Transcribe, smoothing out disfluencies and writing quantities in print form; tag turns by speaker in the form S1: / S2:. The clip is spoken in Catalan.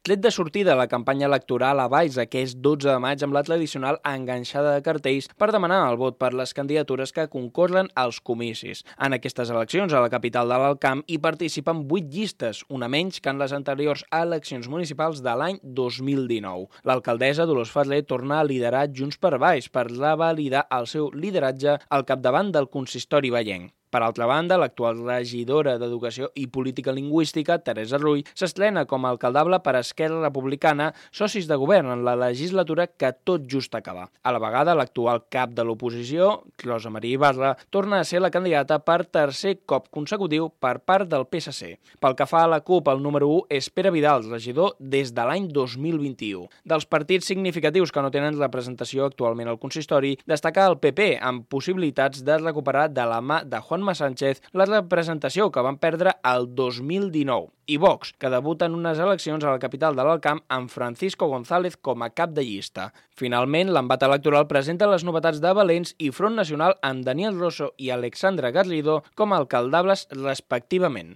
S1: Tret de sortida la campanya electoral a Valls aquest 12 de maig amb la tradicional enganxada de cartells per demanar el vot per les candidatures que concorren als comicis. En aquestes eleccions a la capital de l'Alt Camp hi participen 8 llistes, una menys que en les anteriors eleccions municipals de l'any 2019. L'alcaldessa Dolors Ferrer torna a liderar Junts per Valls per revalidar el seu lideratge al capdavant del consistori vallenc. Per altra banda, l'actual regidora d'Educació i Política Lingüística, Teresa Rull, s'estrena com a alcaldable per Esquerra Republicana, socis de govern en la legislatura que tot just acaba. A la vegada, l'actual cap de l'oposició, Rosa Maria Ibarra, torna a ser la candidata per tercer cop consecutiu per part del PSC. Pel que fa a la CUP, el número 1 és Pere Vidal, regidor des de l'any 2021. Dels partits significatius que no tenen representació actualment al consistori, destaca el PP, amb possibilitats de recuperar de la mà de Juanma Sánchez la representació que van perdre el 2019, i Vox, que debuta en unes eleccions a la capital de l'Alt Camp amb Francisco González com a cap de llista. Finalment, l'embat electoral presenta les novetats de Valens i Front Nacional amb Daniel Rosso i Alexandra Garrido com a alcaldables respectivament.